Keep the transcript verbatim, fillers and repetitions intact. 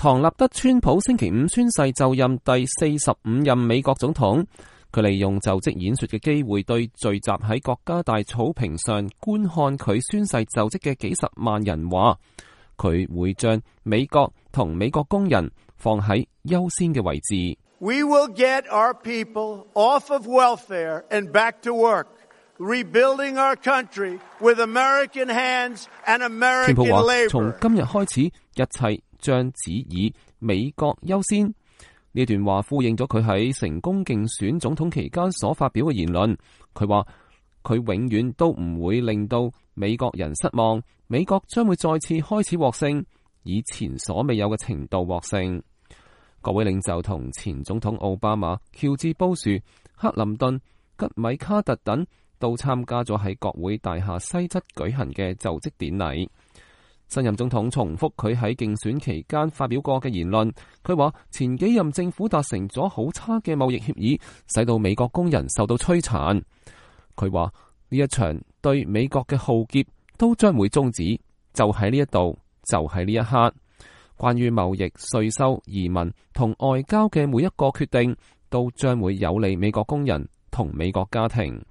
唐納德·川普星期五宣誓就任第四十五任美國總統。佢利用就職演說嘅機會，對聚集喺國家大草坪上觀看佢宣誓就職嘅幾十萬人話，佢會將美國同美國工人放喺優先嘅位置。We will get our people off of welfare and back to work, rebuilding our country with American hands and American labor. 川普話，從今日開始，一切將只以美國優先。呢段話呼應咗佢喺成功競選總統期間所發表嘅言論。佢話佢永遠都唔會令到美國人失望，美國將會再次開始獲勝，以前所未有嘅程度獲勝。各位領袖同前總統奧巴馬、喬治布殊、克林頓、吉米卡特等都參加咗喺國會大廈西側舉行嘅就職典禮。新任總統重複佢喺競選期間發表過嘅言論，佢話前幾任政府達成咗好差嘅貿易協議，使到美國工人受到摧殘。佢話呢一場對美國嘅浩劫都將會終止，就喺呢一度，就喺呢一刻。關於貿易、稅收、移民同外交嘅每一個決定，都將會有利美國工人同美國家庭。